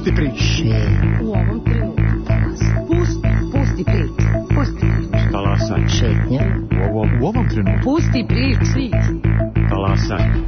Pusti prič. U ovom trenutku. Pusti prič. Pusti prič. Talasaj. Šetnja. U ovom trenutku. Pusti prič. Talasaj.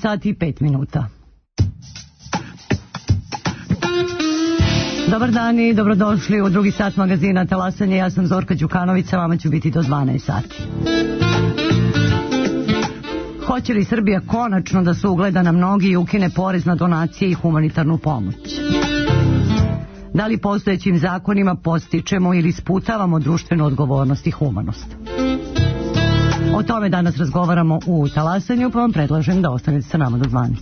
Sat i 5 minuta. Dobar dan i dobrodošli u drugi sat magazina Talasanje. Ja sam Zorka Đukanović, sa vama ću biti do 12 sati. Hoće li Srbija konačno da se ugleda na mnogi i ukine porez na donacije i humanitarnu pomoć? Da li postojećim zakonima postičemo ili sputavamo društvenu odgovornost i humanost? O tome danas razgovaramo u Talasanju, pa vam predlažem da ostanete sa nama do 12.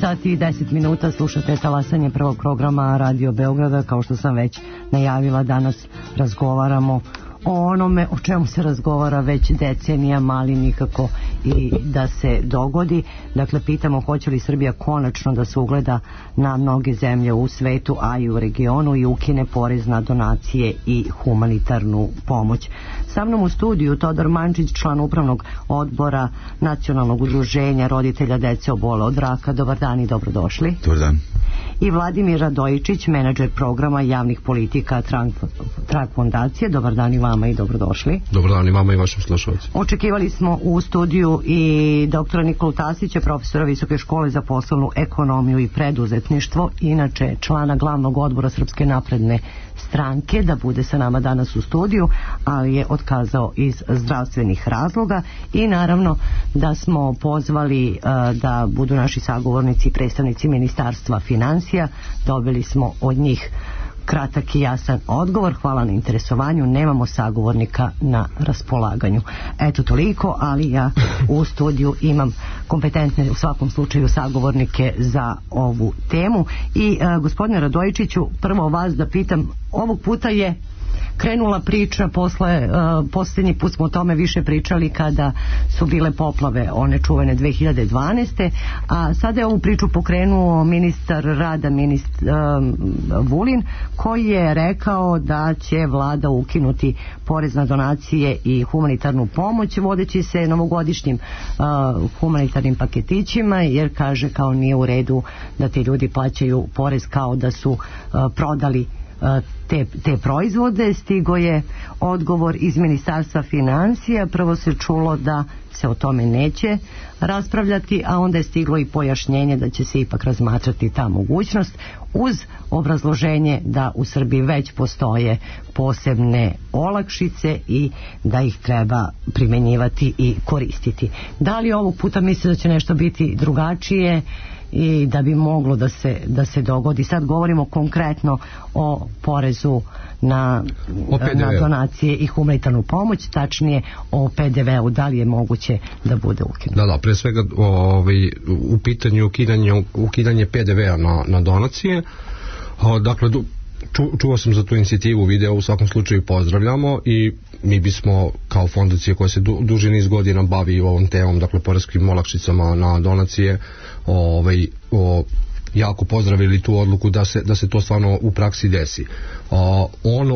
Sati i 10 minuta, slušate Talasanje prvog programa Radio Beograda. Kao što sam već najavila, danas razgovaramo o onome o čemu se razgovara već decenijama, ali nikako i da se dogodi. Dakle, pitamo hoće li Srbija konačno da se ugleda na mnoge zemlje u svetu, a i u regionu, i ukine porez na donacije i humanitarnu pomoć. Sa mnom u studiju Todor Mančić, član upravnog odbora Nacionalnog udruženja roditelja dece obole od raka. Dobar dan i dobrodošli. Dobar dan. I Vladimir Radojičić, menadžer programa javnih politika Trag fondacije. Dobar dan i vama i dobrodošli. Dobar dan i vama i vašim slušalcima. Očekivali smo u studiju i doktora Nikolu Tasića, profesora Visoke škole za poslovnu ekonomiju i preduzetništvo, inače člana glavnog odbora Srpske napredne stranke, da bude sa nama danas u studiju, ali je otkazao iz zdravstvenih razloga. I naravno da smo pozvali da budu naši sagovornici i predstavnici Ministarstva financija. Dobili smo od njih kratak i jasan odgovor. Hvala na interesovanju, nemamo sagovornika na raspolaganju. Eto toliko, ali ja u studiju imam kompetentne u svakom slučaju sagovornike za ovu temu. I gospodine Radojičiću, prvo vas da pitam, ovog puta je krenula priča posljednji put smo o tome više pričali kada su bile poplave one čuvene 2012. A sada je ovu priču pokrenuo ministar rada Vulin, koji je rekao da će vlada ukinuti porez na donacije i humanitarnu pomoć, vodeći se novogodišnjim humanitarnim paketićima, jer kaže kao nije u redu da ti ljudi plaćaju porez kao da su prodali te proizvode. Stigo je odgovor iz Ministarstva financija. Prvo se čulo da se o tome neće raspravljati, a onda je stiglo i pojašnjenje da će se ipak razmatrati ta mogućnost, uz obrazloženje da u Srbiji već postoje posebne olakšice i da ih treba primjenjivati i koristiti. Da li ovog puta misli da će nešto biti drugačije i da bi moglo da se dogodi? Sad govorimo konkretno o porezu na donacije i humanitarnu pomoć, tačnije o PDV-u. Da li je moguće da bude ukinuto? Da, pre svega u pitanju ukidanje PDV-a na donacije. Dakle, čuo sam za tu inicijativu, video u svakom slučaju pozdravljamo i mi bismo kao fondacija koja se duži niz godina bavi ovom temom, dakle poreskim olakšicama na donacije, jako pozdravili tu odluku da se to stvarno u praksi desi.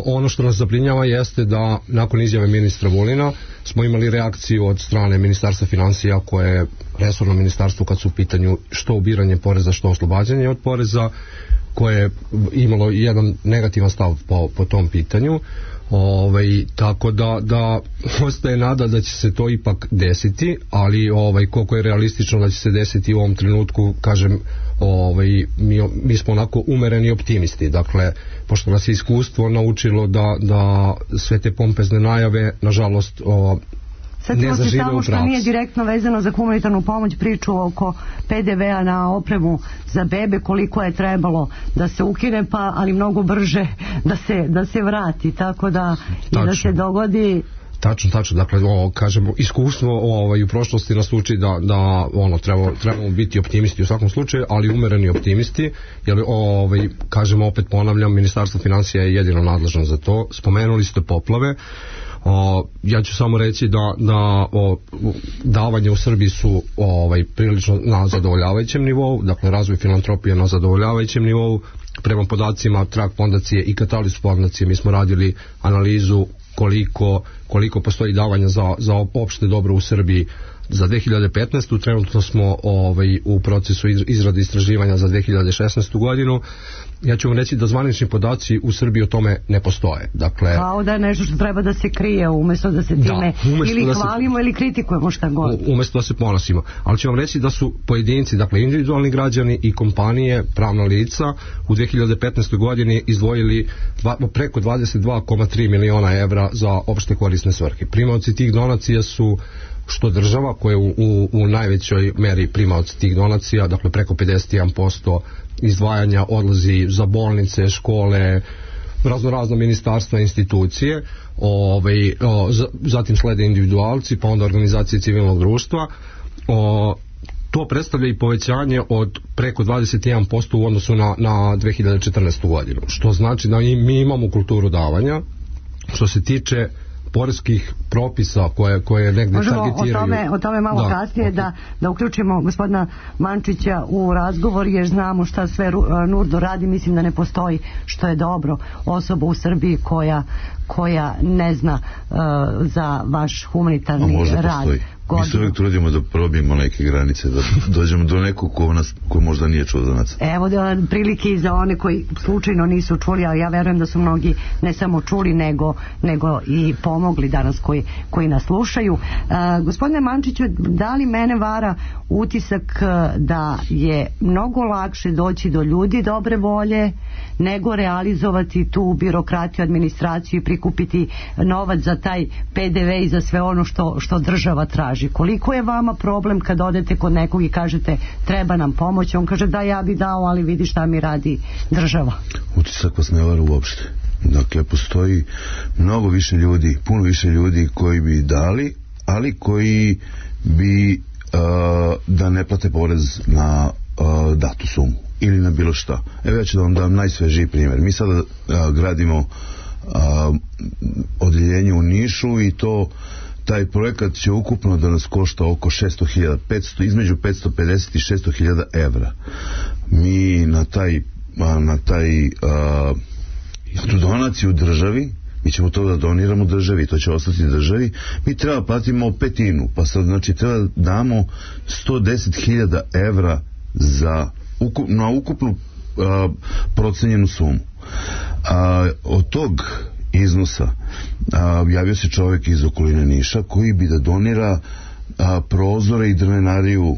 Ono što nas zabrinjava jeste da nakon izjave ministra Vulina smo imali reakciju od strane Ministarstva financija, koje je resorno ministarstvo kad su u pitanju što ubiranje poreza, što oslobađanje od poreza, koje je imalo jedan negativan stav po tom pitanju. Tako da ostaje nada da će se to ipak desiti, ali koliko je realistično da će se desiti u ovom trenutku, kažem, mi smo onako umereni optimisti. Dakle, pošto nas je iskustvo naučilo da sve te pompezne najave, nažalost, sad ćemo se samo što nije direktno vezano za humanitarnu pomoć priču oko PDV-a na opremu za bebe, koliko je trebalo da se ukine, ali mnogo brže da se vrati, tako da i da se dogodi. Tačno, dakle, kažemo, iskustvo u prošlosti nas uči da trebamo biti optimisti u svakom slučaju, ali umereni optimisti, jer kažemo, opet ponavljam, Ministarstvo financija je jedino nadležno za to. Spomenuli ste poplave. Ja ću samo reći da davanja u Srbiji su prilično na zadovoljavajućem nivou, dakle razvoj filantropije na zadovoljavajućem nivou. Prema podacima Trag fondacije i Catalyst fondacije mi smo radili analizu koliko postoji davanja za opšte dobro u Srbiji za 2015. Trenutno smo u procesu izrade istraživanja za 2016. godinu. Ja ću vam reći da zvanični podaci u Srbiji o tome ne postoje. Dakle, kao da je nešto što treba da se krije, umjesto da se time ili hvalimo ili kritikujemo, šta god. Umjesto da se ponosimo. Ali ću vam reći da su pojedinci, dakle individualni građani i kompanije, pravna lica, u 2015. godini izdvojili preko 22,3 miliona evra za opšte korisne svrhe. Primaoci tih donacija su što država, koja je u najvećoj meri primaoc tih donacija, dakle preko 51% izdvajanja odlazi za bolnice, škole, razno ministarstva, institucije, zatim slede individualci, pa onda organizacije civilnog društva. To predstavlja i povećanje od preko 21% u odnosu na 2014. godinu, što znači da mi imamo kulturu davanja. Što se tiče poreskih propisa koje negde targetiraju. Možemo o tome malo kasnije da uključimo gospodina Mančića u razgovor, jer znamo šta sve Nurdo radi. Mislim da ne postoji, što je dobro, osoba u Srbiji koja ne zna za vaš humanitarni možda rad. Postoji. Mi se uvijek trudimo da probijemo neke granice, da dođemo do nekog ko možda nije čuo za nas. Evo prilike i za one koji slučajno nisu čuli, ali ja verujem da su mnogi ne samo čuli, nego i pomogli danas koji nas slušaju. Gospodine Mančiću, da li mene vara utisak da je mnogo lakše doći do ljudi dobre volje nego realizovati tu birokratiju, administraciju i prikupiti novac za taj PDV i za sve ono što država traži? Koliko je vama problem kad odete kod nekog i kažete treba nam pomoć, on kaže da, ja bi dao, ali vidi šta mi radi država? Utisak vas ne vara uopšte. Dakle, postoji mnogo više ljudi, puno više ljudi koji bi dali, ali koji bi da ne plate porez na datu sumu ili na bilo šta. Evo, ja ću da vam dam najsvežiji primjer. Mi sada gradimo odeljenje u Nišu i taj projekat će ukupno da nas košta oko 600.000, između 550 i 600.000 evra. Mi na tu donaciju državi, mi ćemo to da doniramo državi, to će ostati državi, mi treba platimo petinu, pa sad znači treba da damo 110.000 evra na ukupnu procenjenu sumu. Od tog iznosa javio se čovjek iz okoline Niša koji bi da donira prozore i drvenariju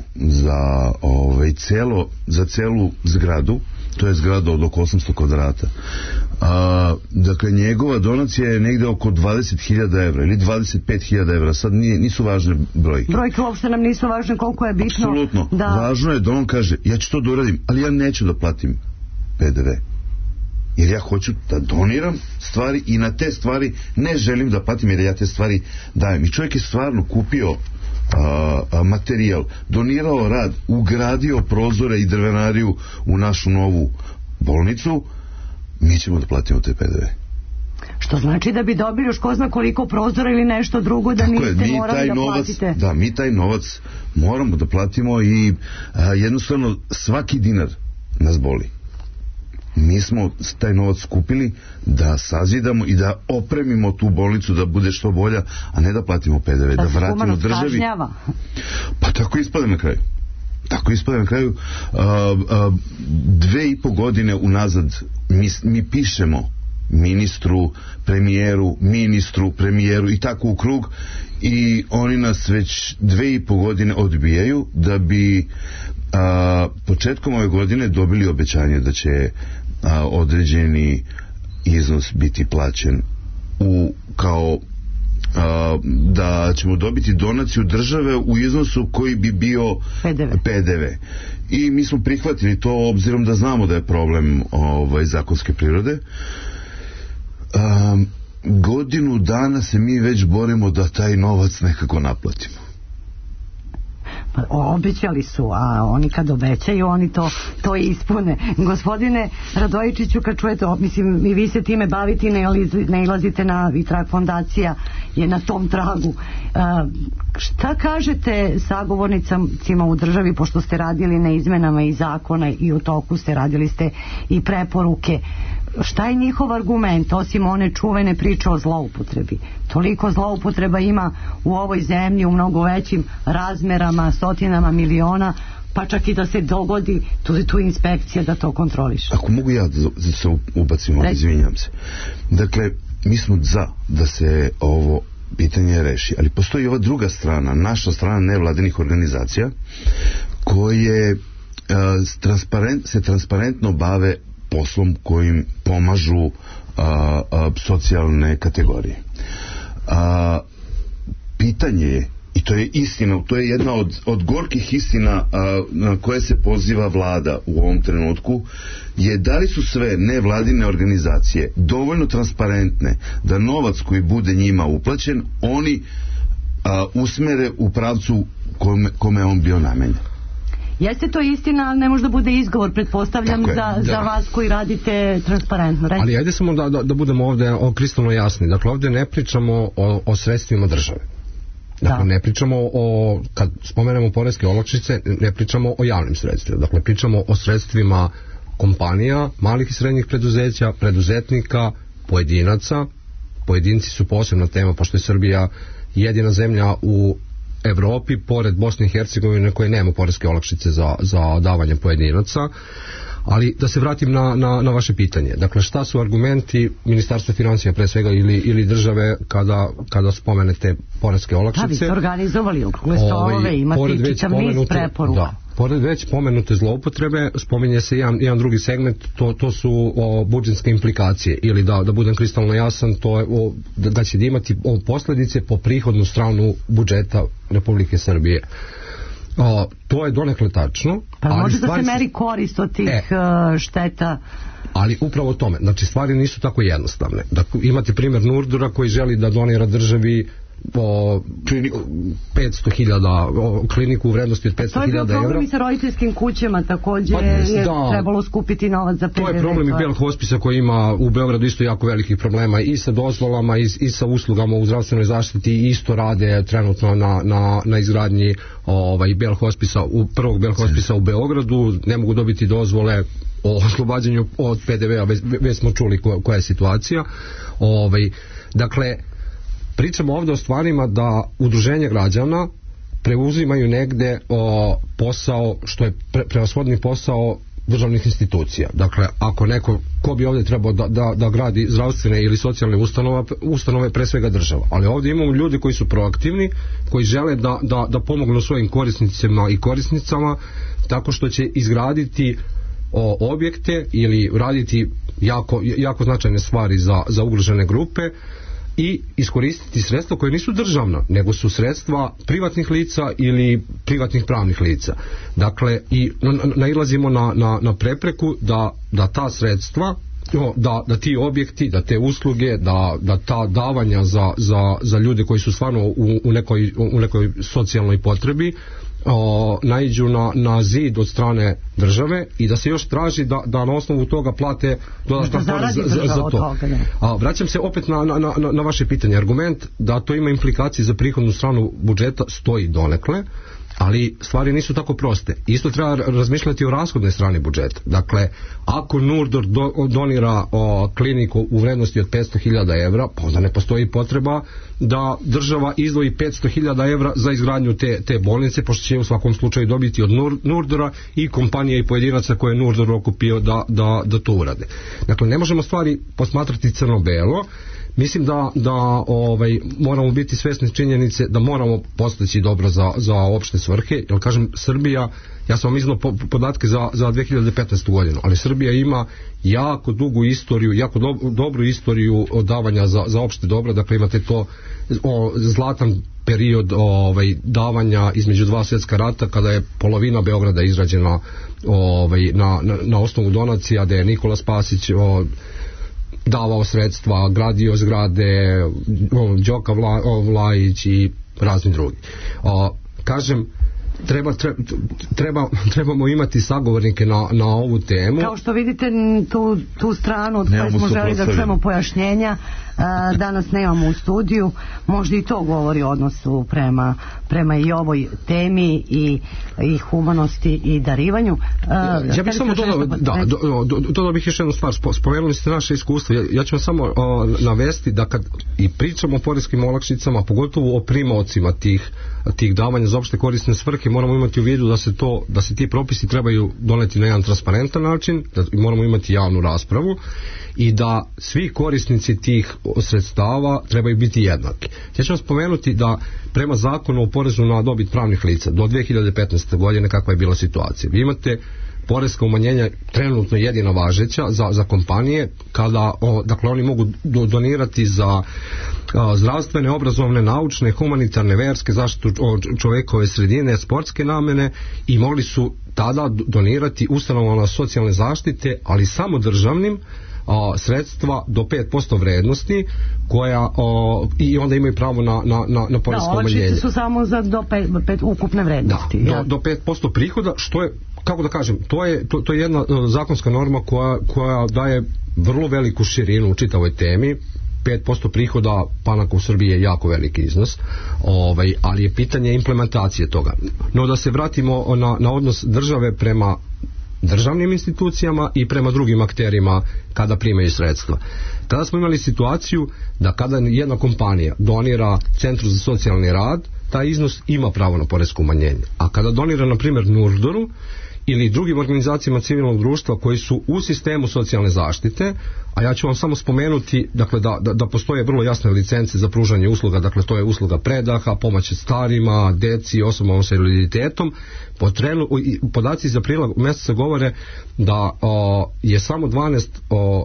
za celu zgradu. To je zgrada od oko 800 kvadrata. Dakle, njegova donacija je negde oko 20.000 evra ili 25.000 evra. Sad nisu važne brojke. Brojke uopšte nam nisu važne, koliko je bitno. Apsolutno. Važno je da on kaže, ja ću to da uradim, ali ja neću da platim PDV. Jer ja hoću da doniram stvari i na te stvari ne želim da platim, jer ja te stvari dajem. I čovjek je stvarno kupio materijal, donirao rad, ugradio prozore i drvenariju u našu novu bolnicu, mi ćemo da platimo te PDV. Što znači da bi dobili još ko zna koliko prozora ili nešto drugo da niste morali da platite. Da, mi taj novac moramo da platimo i jednostavno svaki dinar nas boli. Mi smo taj novac skupili da sazidamo i da opremimo tu bolnicu da bude što bolja, a ne da platimo PDV, da vratimo državi. Pa tako ispada na kraju. Tako ispada na kraju. 2,5 godine unazad mi pišemo ministru, premijeru i tako u krug, i oni nas već 2,5 godine odbijaju, da bi početkom ove godine dobili obećanje da će određeni iznos biti plaćen kao da ćemo dobiti donaciju države u iznosu koji bi bio PDV. I mi smo prihvatili to, obzirom da znamo da je problem zakonske prirode. Godinu dana se mi već borimo da taj novac nekako naplatimo. Obećali su, a oni kad obećaju oni to ispune. Gospodine Radojičiću, kad čujete, mislim, i vi se time bavite, ne ilazite na Vitrak fondacija je na tom tragu. Šta kažete sagovornicima u državi, pošto ste radili na izmenama i zakona i u toku radili ste i preporuke, šta je njihov argument, osim one čuvene priče o zloupotrebi? Toliko zloupotreba ima u ovoj zemlji u mnogo većim razmerama, stotinama miliona, pa čak i da se dogodi tu inspekcija da to kontroliše. Ako mogu ja da se ubacim, izvinjam se. Dakle, mi smo za da se ovo pitanje reši, ali postoji ova druga strana, naša strana nevladinih organizacija koje se transparentno bave poslom kojim pomažu socijalne kategorije. Pitanje je, i to je istina, to je jedna od gorkih istina na koje se poziva vlada u ovom trenutku, je da li su sve nevladine organizacije dovoljno transparentne da novac koji bude njima uplaćen oni usmere u pravcu kome on bio namenjen. Jeste to istina, ali ne može da bude izgovor, pretpostavljam, za vas koji radite transparentno. Ali ajde samo da budemo ovde kristalno jasni. Dakle, ovde ne pričamo o sredstvima države. Dakle, ne pričamo kad spomenemo poreske olakšice, ne pričamo o javnim sredstvima. Dakle, pričamo o sredstvima kompanija, malih i srednjih preduzeća, preduzetnika, pojedinaca. Pojedinci su posebna tema, pošto je Srbija jedina zemlja u Evropi, pored Bosne i Hercegovine, koje nema poreske olakšice za davanje pojedinaca. Ali da se vratim na vaše pitanje. Dakle, šta su argumenti Ministarstva financija pre svega ili države kada spomenete poreske olakšice? Da, vi ste organizovali okrugle stolove, imate čitav niz preporuka. Da, pored već pomenute zloupotrebe, spominje se jedan drugi segment, to su budžetske implikacije, ili da budem kristalno jasan, to je da će imati posledice po prihodnu stranu budžeta Republike Srbije. To je donekle tačno. Pa može da se meri korist od tih šteta. Ali upravo tome, znači stvari nisu tako jednostavne. Dakle, imate primjer Nurdura koji želi da donira državi 500.000 kliniku u vrednosti od 500.000 evra. To je bio problem i sa roditeljskim kućama, također je trebalo skupiti novac za PDV. To je problem i Bel Hospisa koji ima u Beogradu isto jako velikih problema i sa dozvolama i sa uslugama u zdravstvenoj zaštiti, i isto rade trenutno na izgradnji Bel Hospisa, prvog Bel Hospisa u Beogradu, ne mogu dobiti dozvole o oslobađanju od PDV-a, već smo čuli koja je situacija. Dakle, pričamo ovdje o stvarima da udruženje građana preuzimaju negde posao što je prevashodni posao državnih institucija. Dakle, ako neko, ko bi ovdje trebao da gradi zdravstvene ili socijalne ustanove, pre svega država. Ali ovdje imamo ljudi koji su proaktivni, koji žele da pomognu svojim korisnicima i korisnicama tako što će izgraditi objekte ili raditi jako značajne stvari za ugrožene grupe i iskoristiti sredstva koje nisu državna, nego su sredstva privatnih lica ili privatnih pravnih lica. Dakle, i nailazimo na prepreku da ta sredstva, da ti objekti, da te usluge, da ta davanja za ljude koji su stvarno u nekoj socijalnoj potrebi naiđu na zid od strane države i da se još traži da na osnovu toga plate dodatan porez za to. Vraćam se opet na vaše pitanje. Argument da to ima implikacije za prihodnu stranu budžeta stoji donekle, ali stvari nisu tako proste. Isto treba razmišljati o rashodnoj strani budžeta. Dakle, ako Nurdor donira kliniku u vrednosti od 500.000 evra, pa onda ne postoji potreba da država izdvoji 500.000 evra za izgradnju te bolnice, pošto će u svakom slučaju dobiti od Nurdora i kompanije i pojedinaca koje je Nurdor okupio da to urade. Dakle, ne možemo stvari posmatrati crno-belo. Mislim da moramo biti svesni činjenice da moramo postići dobro za opšte svrhe, jer kažem, Srbija, ja sam vam iznao podatke za 2015. godinu, ali Srbija ima jako dugu istoriju, jako dobru istoriju davanja za opšte dobro. Dakle, imate to zlatan period davanja između dva svjetska rata, kada je polovina Beograda izrađena na osnovu donacija, da je Nikola Spasić davao sredstva, gradio zgrade, Đoka Vlajić i razni drugi. Kažem, trebamo imati sagovornike na ovu temu. Kao što vidite, tu stranu od koje smo želi da čujemo pojašnjenja, danas nemamo u studiju. Možda i to govori o odnosu prema i ovoj temi i humanosti i darivanju. Ja bih samo dodao bih još jednu stvar. Spomenuli ste naše iskustvo. Ja ću vam samo navesti da kad i pričamo o poreskim olakšicama, pogotovo o primaocima tih davanja za opšte korisne svrhe, moramo imati u vidu da se ti propisi trebaju doneti na jedan transparentan način, da moramo imati javnu raspravu i da svi korisnici tih sredstava trebaju biti jednaki. Ja ću vam spomenuti da prema zakonu o porezu na dobit pravnih lica do 2015. godine kakva je bila situacija. Vi imate poreska umanjenja trenutno jedina važeća za kompanije, kada dakle oni mogu donirati za zdravstvene, obrazovne, naučne, humanitarne, verske, zaštitu čovekove sredine, sportske namene, i mogli su tada donirati ustanovama socijalne zaštite, ali samo državnim, sredstva do 5% vrednosti koja i onda imaju pravo na poresko umanjenje. Olakšice su samo za do 5 ukupne vrednosti. Do 5% prihoda, što je, kako da kažem, to je jedna zakonska norma koja daje vrlo veliku širinu u čitavoj temi. 5% prihoda banaka u Srbiji je jako veliki iznos, ali je pitanje implementacije toga. No da se vratimo na odnos države prema državnim institucijama i prema drugim akterima kada primaju sredstva. Tada smo imali situaciju da kada jedna kompanija donira Centru za socijalni rad, taj iznos ima pravo na poresko umanjenje. A kada donira, na primjer, Nurdoru ili drugim organizacijama civilnog društva koji su u sistemu socijalne zaštite, a ja ću vam samo spomenuti, dakle, da postoje vrlo jasne licence za pružanje usluga, dakle to je usluga predaha, pomoć starima, deci, osobama sa invaliditetom. Podaci iz aprila mjeseca govore da je samo 12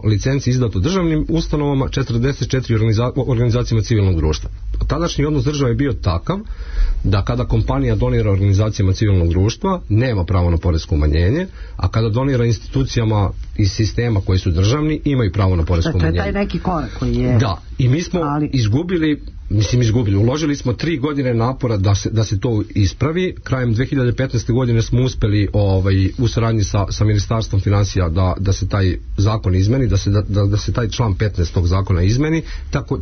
licenci izdato državnim ustanovama, 44 organizacijama civilnog društva. Tadašnji odnos države je bio takav da kada kompanija donira organizacijama civilnog društva nema pravo na poresko umanjenje, a kada donira institucijama iz sistema koji su državni imaju pravo na poresko umanjenje. To je taj neki korak koji je... Da, i mi smo izgubili, uložili smo 3 godine napora da se to ispravi. Krajem 2015. godine smo uspeli u saradnji sa Ministarstvom financija da se taj zakon izmeni, da se taj član 15 tog zakona izmeni,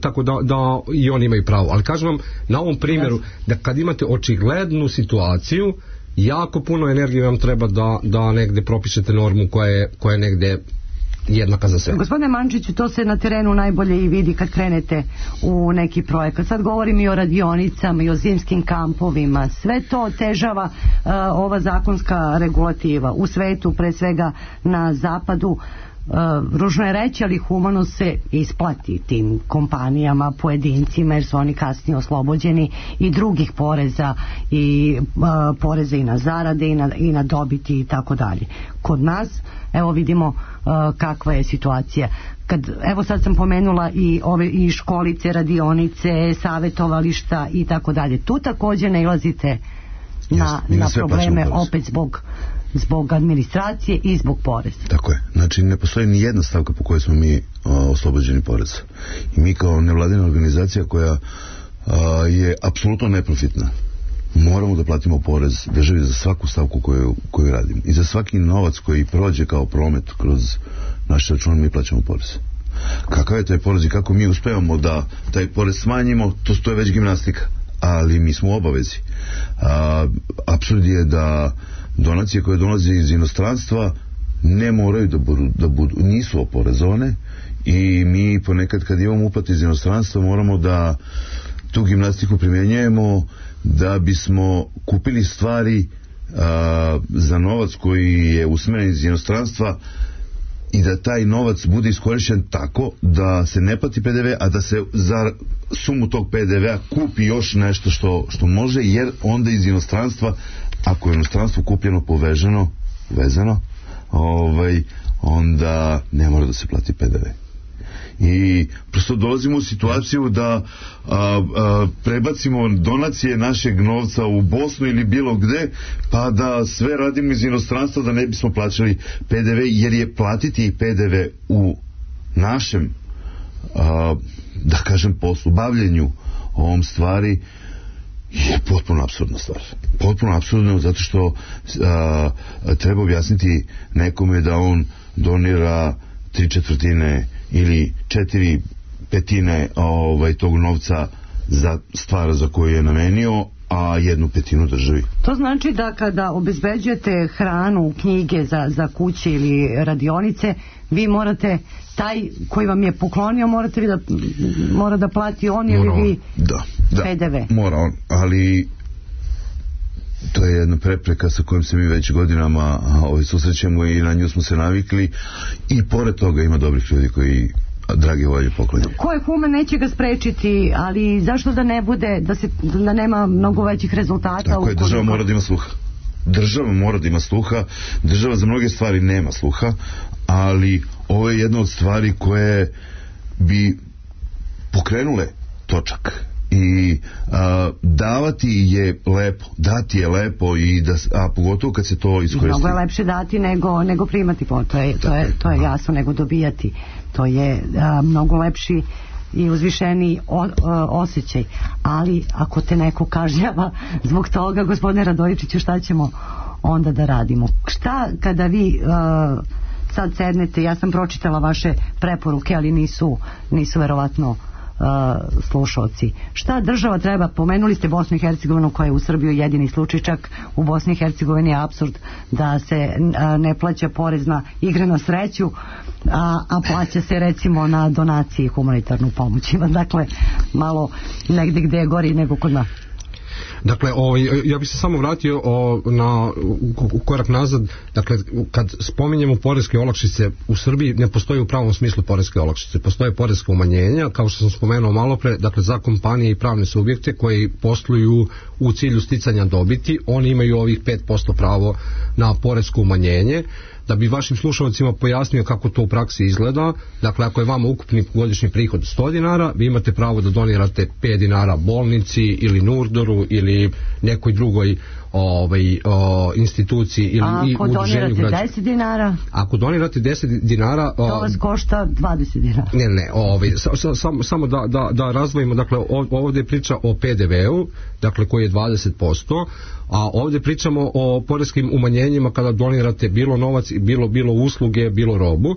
tako da i oni imaju pravo. Ali kažem vam, na ovom primjeru, da kad imate očiglednu situaciju, jako puno energije vam treba da negde propišete normu koja je negde jednaka za sve. Gospodine Mančiću, to se na terenu najbolje i vidi kad krenete u neki projekat. Sad govorim i o radionicama i o zimskim kampovima. Sve to otežava ova zakonska regulativa. U svetu, pre svega na zapadu, ružno je reći, ali humano se isplati tim kompanijama, pojedincima, jer su oni kasnije oslobođeni i drugih poreza i poreza i na zarade i na dobiti i tako dalje. Kod nas, evo vidimo kakva je situacija. Evo sad sam pomenula i školice, radionice, savjetovališta i tako dalje. Tu također nailazite na probleme opet zbog administracije i zbog poreza. Tako je. Znači ne postoji ni jedna stavka po kojoj smo mi oslobođeni poreza. I mi kao nevladina organizacija koja je apsolutno neprofitna, moramo da platimo porez državi za svaku stavku koju radimo. I za svaki novac koji prođe kao promet kroz naš račun mi plaćamo porez. Kakav je taj porez i kako mi uspevamo da taj porez smanjimo, to je već gimnastika. Ali mi smo u obavezi. Apsurd je da donacije koje dolaze iz inostranstva ne moraju da budu, nisu oporezovane i mi ponekad kad imamo uplate iz inostranstva moramo da tu gimnastiku primjenjujemo da bismo kupili stvari za novac koji je usmeren iz inostranstva i da taj novac bude iskorišten tako da se ne plati PDV, a da se za sumu tog PDV-a kupi još nešto što može, jer onda iz inostranstva, ako je inostranstvo kupljeno vezano, onda ne mora da se plati PDV. I prosto dolazimo u situaciju da prebacimo donacije našeg novca u Bosnu ili bilo gde, pa da sve radimo iz inostranstva da ne bismo plaćali PDV, jer je platiti PDV u našem da kažem poslu, bavljenju ovom stvari je potpuno apsurdna stvar. Potpuno apsurdno, zato što treba objasniti nekome da on donira 3/4 ili 4/5 tog novca za stvar za koju je namenio, a 1/5 državi. To znači da kada obezbeđujete hranu, knjige za kuće ili radionice, vi morate, taj koji vam je poklonio, mora da plati on ili vi PDV. Mora on, ali to je jedna prepreka sa kojom se mi već godinama susrećemo i na nju smo se navikli, i pored toga ima dobrih ljudi koji drage volje poklonjaju. Ko je human, neće ga sprečiti, ali zašto da ne bude, da nema mnogo većih rezultata? Tako je, država mora da ima sluha. Država mora da ima sluha, država za mnoge stvari nema sluha, ali ovo je jedna od stvari koje bi pokrenule točak i davati je lepo, dati je lepo i a pogotovo kad se to iskoristi. Mnogo je lepše dati nego primati, to je jasno, nego dobijati. To je mnogo lepši i uzvišeni osjećaj, ali ako te neko kažnjava zbog toga, gospodine Radojičiću, šta ćemo onda da radimo? Šta kada vi sad sednete, ja sam pročitala vaše preporuke, ali nisu verovatno slušalci. Šta država treba? Pomenuli ste Bosnu i Hercegovinu koja je u Srbiji jedini slučaj, čak u Bosni i Hercegovini je apsurd da se ne plaća porez na igre na sreću, a plaća se recimo na donacije i humanitarnu pomoć. Dakle, malo negde gde je gori nego kod nas. Dakle, ja bih se samo vratio na korak nazad. Dakle, kad spominjemo poreske olakšice u Srbiji, ne postoji u pravom smislu poreske olakšice, postoje poreska umanjenja, kao što sam spomenuo malo pre, dakle za kompanije i pravne subjekte koji posluju u cilju sticanja dobiti, oni imaju ovih 5% pravo na poresko umanjenje. Da bi vašim slušalcima pojasnio kako to u praksi izgleda, dakle ako je vama ukupni godišnji prihod 100 dinara, vi imate pravo da donirate 5 dinara bolnici ili Nurdoru ili nekoj drugoj instituciji ili udruženju građana. Ako donirate 10 dinara? Ako donirate 10 dinara... To vas košta 20 dinara. Samo da razdvojimo, dakle ovdje je priča o PDV-u, dakle koji je 20%, a ovdje pričamo o poreskim umanjenjima kada donirate bilo novac, bilo usluge, bilo robu.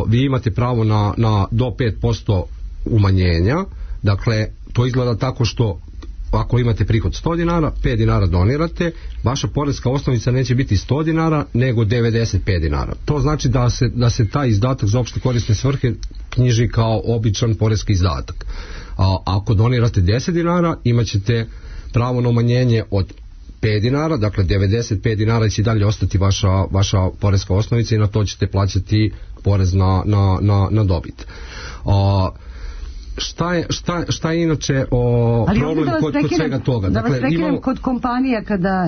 Vi imate pravo na do 5% umanjenja, dakle to izgleda tako što ako imate prihod 100 dinara, 5 dinara donirate, vaša poreska osnovica neće biti 100 dinara, nego 95 dinara. To znači da se taj izdatak za opšte korisne svrhe knjiži kao običan poreski izdatak. A ako donirate 10 dinara, imat ćete pravo na umanjenje od 5 dinara, dakle 95 dinara će dalje ostati vaša poreska osnovica i na to ćete plaćati porez na dobit. Šta je inače problem kod svega toga? Da vas prekinem kod kompanija, kada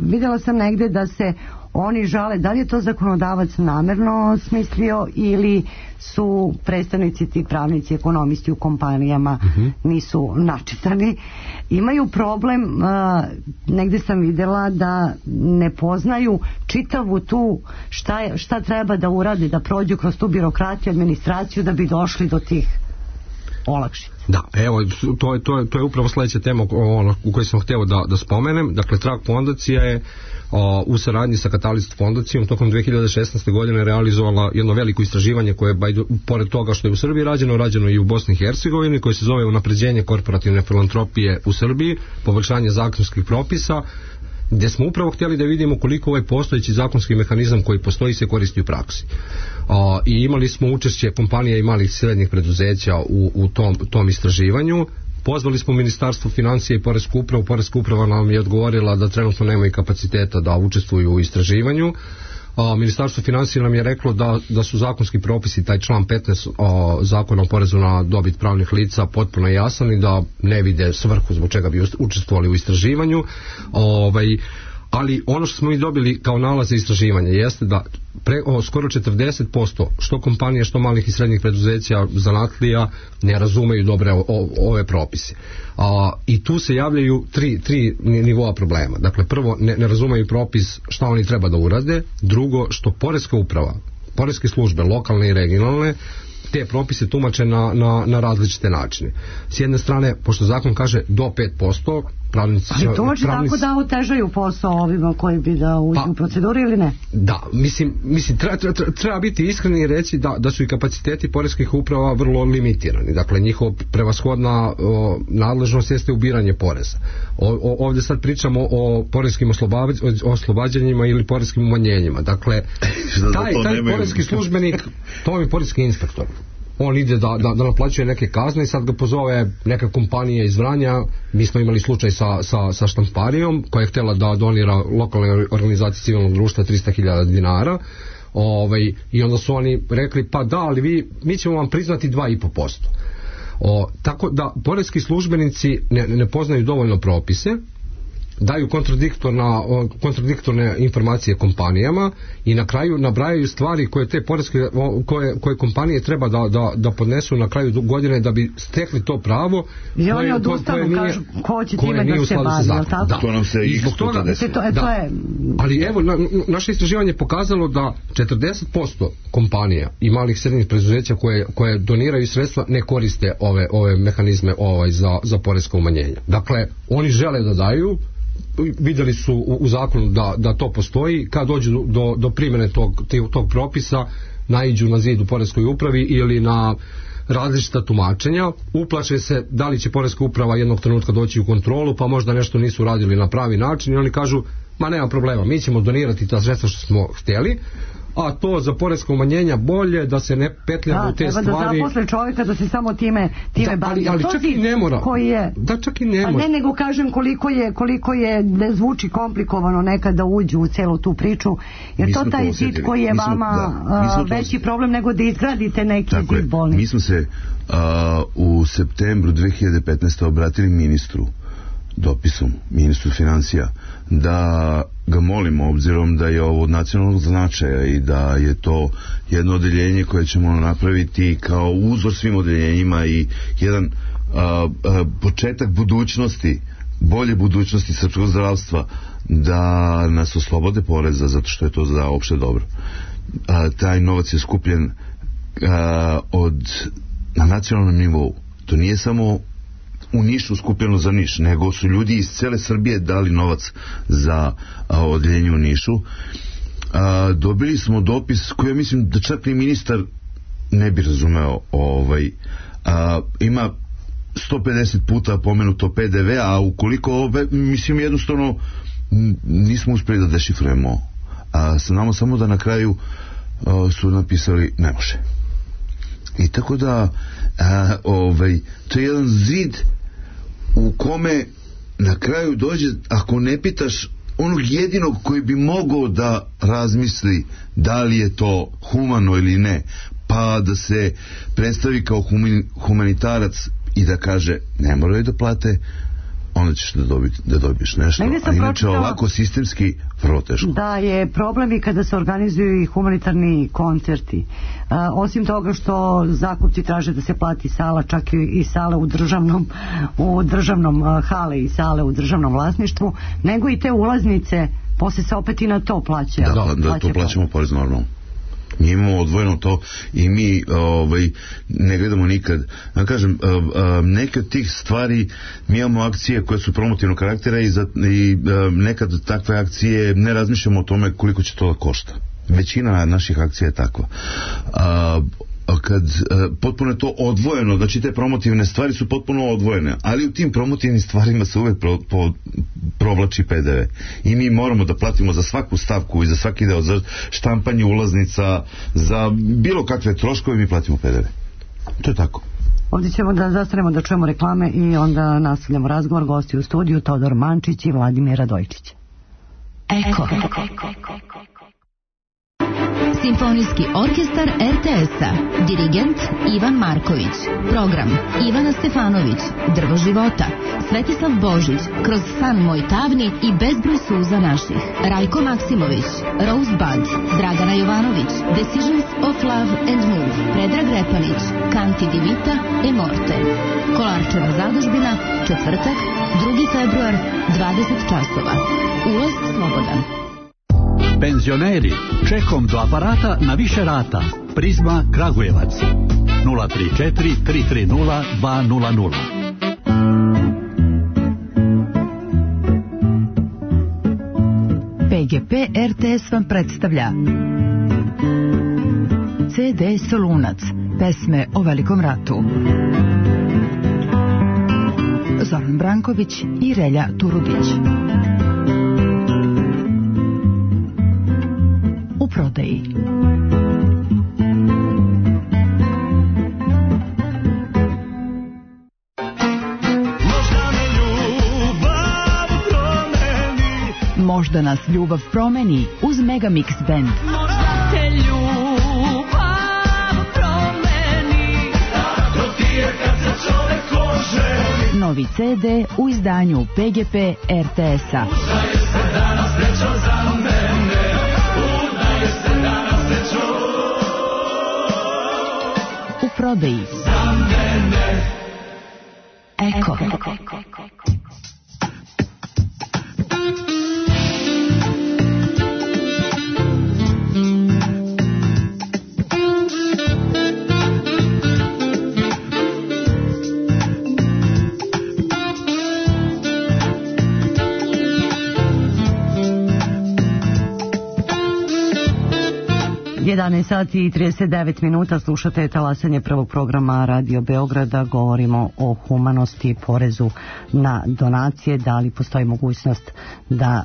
vidjela sam negde da se oni žale, da li je to zakonodavac namerno smislio ili su predstavnici, ti pravnici, ekonomisti u kompanijama nisu načitani, imaju problem, negde sam vidjela da ne poznaju čitavu tu šta treba da urade, da prođu kroz tu birokratiju, administraciju da bi došli do tih olakšica. Da, evo, to je upravo sljedeća tema u kojoj sam htio da spomenem. Dakle, Trag fondacija je u saradnji sa Catalyst fondacijom tokom 2016. godine realizovala jedno veliko istraživanje koje je, pored toga što je u Srbiji rađeno i u Bosni i Hercegovini, koje se zove Unapređenje korporativne filantropije u Srbiji, poboljšanje zakonskih propisa, gdje smo upravo htjeli da vidimo koliko ovaj postojeći zakonski mehanizam koji postoji se koristi u praksi. I imali smo učešće kompanija i malih i srednjih preduzeća u tom istraživanju. Pozvali smo Ministarstvo financija i Poresku upravu. Poreska uprava nam je odgovorila da trenutno nemaju kapaciteta da učestvuju u istraživanju. Ministarstvo financija nam je reklo da su zakonski propisi, taj član 15 zakona o porezu na dobit pravnih lica, potpuno jasan i da ne vide svrhu zbog čega bi učestvovali u istraživanju. Ali ono što smo mi dobili kao nalaze istraživanja jeste da skoro 40% što kompanije, što malih i srednjih preduzeća, zanatlija ne razumeju dobre ove propise. I tu se javljaju tri nivoa problema. Dakle, prvo, ne razumeju propis šta oni treba da urade. Drugo, što poreska uprava, poreske službe, lokalne i regionalne, te propise tumače na različite načine. S jedne strane, pošto zakon kaže do 5%, pravnici... Ali tumači tako da otežaju posao ovima koji bi da uđu u proceduru ili ne? Da, mislim treba biti iskreni i reći da su i kapaciteti poreskih uprava vrlo limitirani. Dakle, njihova prevashodna nadležnost jeste ubiranje poreza. Ovdje sad pričamo o poreskim oslobađanjima ili poreskim umanjenjima. Dakle, taj poreski službenik, to je poreski inspektor. On ide da naplaćuje neke kazne i sad ga pozove neka kompanija iz Vranja. Mi smo imali slučaj sa štamparijom koja je htjela da donira lokalnoj organizaciji civilnog društva 300.000 dinara. I onda su oni rekli, pa da, ali mi ćemo vam priznati 2,5%. Tako da poreski službenici ne poznaju dovoljno propise, daju kontradiktorne informacije kompanijama i na kraju nabrajaju stvari koje te poreske koje kompanije treba da podnesu na kraju godine da bi stekli to pravo. I oni odustanu, kažu ko će time da se bavi, je li tako? To nam se i puta desilo. Ali evo, naše istraživanje je pokazalo da 40% kompanija i malih srednjih preduzeća koje doniraju sredstva ne koriste ove mehanizme za poreska umanjenja. Dakle, oni žele da daju, vidjeli su u zakonu da to postoji, kad dođu do primjene tog propisa, naiđu na zid u poreskoj upravi ili na različita tumačenja, uplaše se da li će poreska uprava jednog trenutka doći u kontrolu, pa možda nešto nisu radili na pravi način i oni kažu, ma nema problema, mi ćemo donirati ta sredstva što smo htjeli, a to za poreska umanjenja bolje da se ne petljamo u te stvari. Da, zaposle čovjeka da se samo time bavi. Ali čak i ne mora. Koji je, čak i ne mora. Ne, nego kažem koliko je ne zvuči komplikovano nekad da uđu u celu tu priču, jer to taj zid koji je vama veći problem nego da izgradite neki zid bolnice. Mi smo se u septembru 2015. obratili ministru dopisom, ministru financija, da ga molimo, obzirom da je ovo od nacionalnog značaja i da je to jedno odeljenje koje ćemo napraviti kao uzor svim odeljenjima i jedan početak budućnosti, bolje budućnosti srpskog zdravstva, da nas oslobode poreza zato što je to za opšte dobro. Taj novac je skupljen na nacionalnom nivou. To nije samo u Nišu skupljeno za Niš, nego su ljudi iz cele Srbije dali novac za odeljenje u Nišu. Dobili smo dopis koji ja mislim da čak ni ministar ne bi razumeo. Ima 150 puta pomenuto PDV, a ukoliko mislim jednostavno nismo uspjeli da dešifrujemo. Znamo samo da na kraju su napisali ne može. I tako da to je jedan zid u kome na kraju dođe, ako ne pitaš onog jedinog koji bi mogao da razmisli da li je to humano ili ne, pa da se predstavi kao humanitarac i da kaže ne moraju da plate, onda ćeš da dobiješ nešto, a inače ovako sistemski vrlo teško. Da je problem i kada se organizuju i humanitarni koncerti. Osim toga što zakupci traže da se plati sala, čak i sale u državnom hale i sale u državnom vlasništvu, nego i te ulaznice, posle se opet i na to plaća. Da, to plaćamo porez normalno. Mi imamo odvojeno to i mi ne gledamo nikad. Ja kažem, neke od tih stvari mi imamo akcije koje su promotivnog karaktera i nekad takve akcije ne razmišljamo o tome koliko će to da košta. Većina naših akcija je takva. Kad potpuno je to odvojeno, znači te promotivne stvari su potpuno odvojene, ali u tim promotivnim stvarima se uvek provlači PDV i mi moramo da platimo za svaku stavku i za svaki deo, za štampanje ulaznica, za bilo kakve troškove mi platimo PDV. To je tako. Ovdje ćemo da zastanemo da čujemo reklame i onda nastavljamo razgovor. Gosti u studiju Todor Mančić i Vladimir Radojčić. Eko. Simfonijski orkestar RTS-a. Dirigent Ivan Marković. Program Ivana Stefanović. Drvo života. Svetislav Božić. Kroz san moj tamni i bezbroj suza naših. Rajko Maksimović. Rosebud. Dragana Jovanović. Decisions of Love and Move. Predrag Repanić. Kanti Divita e Morte. Kolarčeva zadužbina. Četvrtak, 2. februar, 20 časova. Ulaz slobodan. Penzioneri, čekom do aparata na više rata. Prizma Kragujevac 034 330 200. PGP RTS vam predstavlja CD Solunac, pesme o Velikom ratu. Zoran Branković i Relja Turudić. U prodaji. Možda nas ljubav promeni uz Megamix Band. Možda te ljubav promeni. Tako ti je kad se čovek oženi. Novi CD u izdanju PGP RTS-a. U prodaji Eko. Sati i 39 minuta, slušate talasanje prvog programa Radio Beograda. Govorimo o humanosti, porezu na donacije. Da li postoji mogućnost da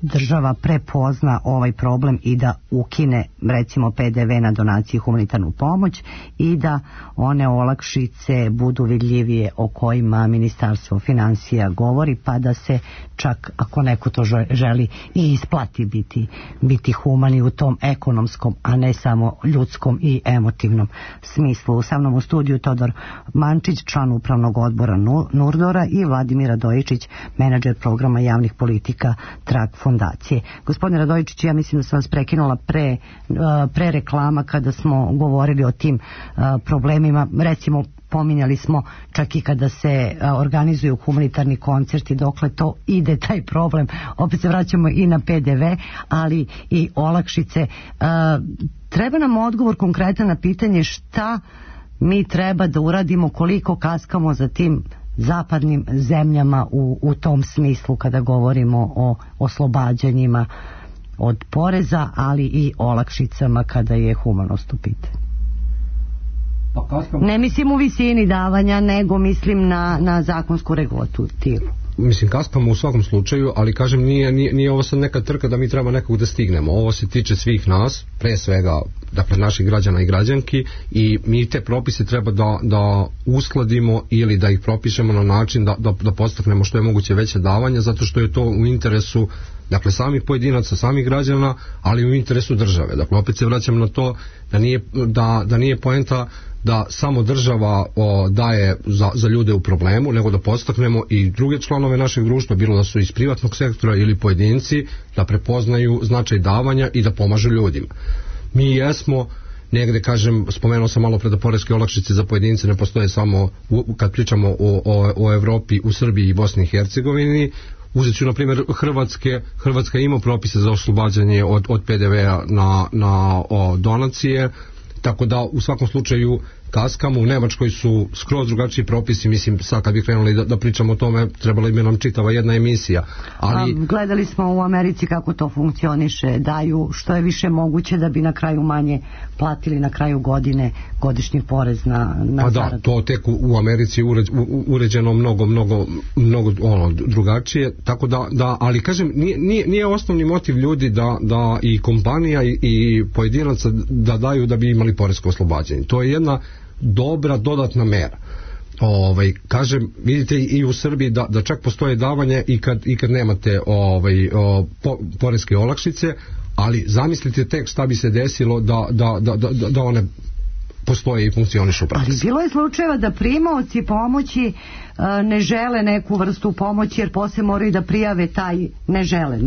država prepozna ovaj problem i da ukine recimo PDV na donacije i humanitarnu pomoć i da one olakšice budu vidljivije o kojima Ministarstvo finansija govori, pa da se čak ako neko to želi i isplati biti humani u tom ekonomskom, a ne samo ljudskom i emotivnom smislu. Sa mnom u studiju Todor Mančić, član upravnog odbora Nurdora, i Vladimir Radojičić, menadžer programa javnih politika Trag fondacije. Gospodine Radojičić, ja mislim da sam vas prekinula pre reklama kada smo govorili o tim problemima. Recimo, pominjali smo čak i kada se organizuju humanitarni koncerti, dokle to ide taj problem. Opet se vraćamo i na PDV, ali i olakšice. Treba nam odgovor konkretan na pitanje šta mi treba da uradimo, koliko kaskamo za tim zapadnim zemljama u tom smislu kada govorimo o oslobađanjima od poreza, ali i olakšicama kada je humanost u pitanju. Ne mislim u visini davanja, nego mislim na zakonsku regulativu. Mislim, kaskamo u svakom slučaju, ali kažem, nije ovo sad neka trka da mi treba nekog da stignemo. Ovo se tiče svih nas, pre svega, dakle, naših građana i građanki, i mi te propise treba da uskladimo ili da ih propišemo na način da podstaknemo što je moguće veće davanja, zato što je to u interesu, dakle, samih pojedinaca, samih građana, ali u interesu države. Dakle, opet se vraćam na to da nije poenta da samo država daje za ljude u problemu, nego da podstaknemo i druge članove našeg društva, bilo da su iz privatnog sektora ili pojedinci, da prepoznaju značaj davanja i da pomažu ljudima. Mi jesmo negde, kažem, spomenuo sam malo pre da poreske olakšice za pojedince ne postoje samo kad pričamo o Evropi, u Srbiji i Bosni i Hercegovini. Uzet ću, na primjer, Hrvatska ima propise za oslobađanje od PDV-a na donacije, tako da u svakom slučaju kaskamo. U Nemačkoj su skroz drugačiji propisi, mislim, sad kad bi krenuli da pričamo o tome, trebala bi nam čitava jedna emisija. Ali gledali smo u Americi kako to funkcioniše, daju što je više moguće da bi na kraju manje platili na kraju godine godišnji porez na zaradu. Da, to tek u Americi uređeno mnogo drugačije, tako da, ali kažem, nije osnovni motiv ljudi da i kompanija i pojedinaca da daju da bi imali poresko oslobađanje. To je jedna dobra dodatna mera. Kažem, vidite i u Srbiji da čak postoje davanje i kad nemate poreske olakšice, ali zamislite tek šta bi se desilo da one postoje i funkcionišu u praksi. Ali bilo je slučajeva da primaoci pomoći ne žele neku vrstu pomoći, jer posle moraju da prijave taj ne žele,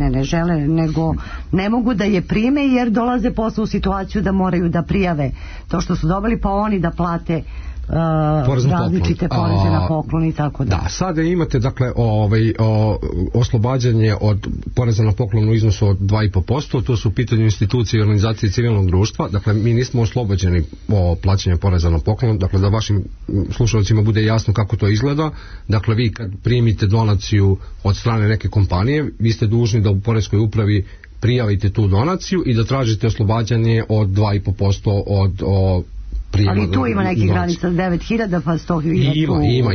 nego ne mogu da je prime, jer dolaze posle u situaciju da moraju da prijave to što su dobili, pa oni da plate različite poreze na poklon i tako da. Da, sada imate, dakle, oslobađanje od poreza na poklon u iznosu od 2,5%, to su u pitanju institucije i organizacije civilnog društva. Dakle, mi nismo oslobođeni plaćanja poreza na poklon, dakle, da vašim slušalcima bude jasno kako to izgleda. Dakle, vi kad primite donaciju od strane neke kompanije, vi ste dužni da u poreskoj upravi prijavite tu donaciju i da tražite oslobađanje od 2,5% od ali tu ima neki granica 9.000 pa 100.000. Ima,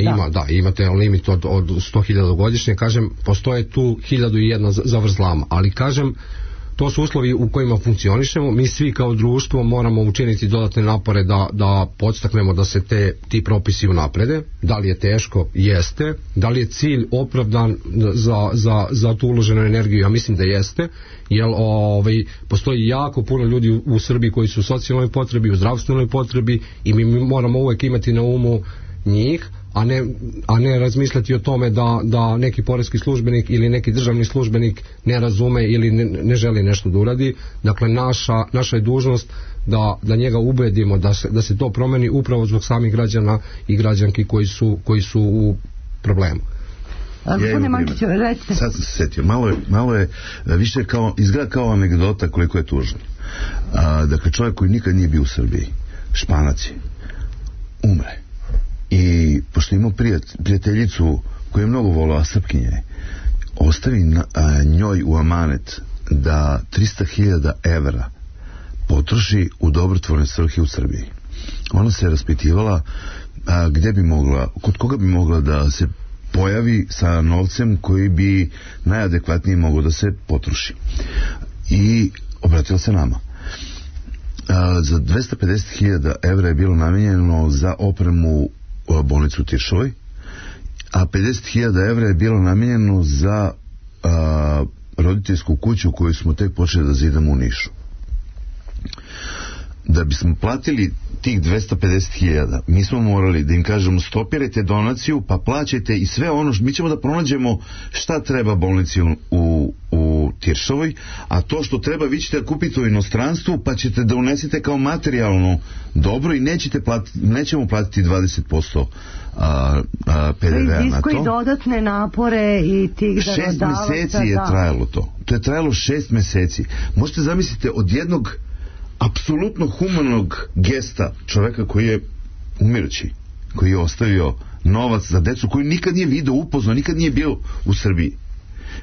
imate limit od 100.000 godišnje, kažem, postoje tu 1.001 zavrzlama, ali kažem, to su uslovi u kojima funkcionišemo. Mi svi kao društvo moramo učiniti dodatne napore da podstaknemo da se ti propisi unaprede. Da li je teško? Jeste. Da li je cilj opravdan za tu uloženu energiju? Ja mislim da jeste, jer postoji jako puno ljudi u Srbiji koji su u socijalnoj potrebi, u zdravstvenoj potrebi, i mi moramo uvek imati na umu njih, a ne razmišljati o tome da neki poreski službenik ili neki državni službenik ne razume ili ne želi nešto da uradi. Dakle, naša je dužnost da njega ubedimo da se to promeni upravo zbog samih građana i građanki koji su u problemu. Gospodine Mančiću, recite. Sad sam se setio, malo je više izgleda kao anegdota koliko je tužno. Dakle, čovjek koji nikad nije bio u Srbiji, Španac je, umre. I pošto imao prijateljicu koju je mnogo volao, Srpkinje, ostavi njoj u amanet da 300.000 evra potroši u dobrotvorne svrhe u Srbiji. Ona se raspitivala gdje bi mogla, kod koga bi mogla da se pojavi sa novcem koji bi najadekvatnije mogao da se potroši. I obratila se nama. Za 250.000 evra je bilo namijenjeno za opremu bolnicu u Tiršovoj, a 50.000 evra je bilo namijenjeno za roditeljsku kuću koju smo tek počeli da zidamo u Nišu. Da bismo platili tih 250.000, mi smo morali da im kažemo stopirajte donaciju, pa plaćajte i sve ono, mi ćemo da pronađemo šta treba bolnici u Tiršovoj, a to što treba vi ćete da kupite u inostranstvu, pa ćete da unesete kao materijalno dobro i nećemo platiti 20% PDV-a na to. I dodatne napore i tih darodavaca. 6 meseci je trajalo to. To je trajalo 6 meseci. Možete zamisliti od jednog apsolutno humanog gesta čoveka koji je umirući, koji je ostavio novac za decu koju nikad nije video, upoznao, nikad nije bio u Srbiji.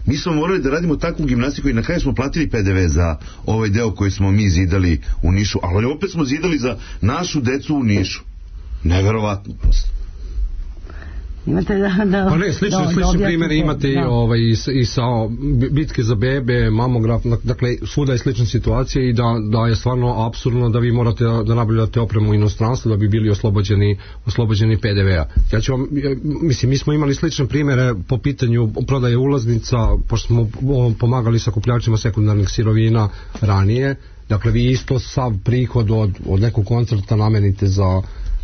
Mi smo morali da radimo takvu gimnastiku i na kraju smo platili PDV za ovaj deo koji smo mi zidali u Nišu, ali opet smo zidali za našu decu u Nišu. Neverovatno prosto. Imate pa ne, slični primjeri imate i sa bitke za bebe, mamograf, dakle svuda je slična situacija i da je stvarno apsurdno da vi morate da nabavljate opremu u inostranstvu da bi bili oslobođeni PDV-a. Mislim, mi smo imali slične primjere po pitanju prodaje ulaznica, pošto smo pomagali sakupljačima sekundarnih sirovina ranije. Dakle, vi isto sav prihod od nekog koncerta namenite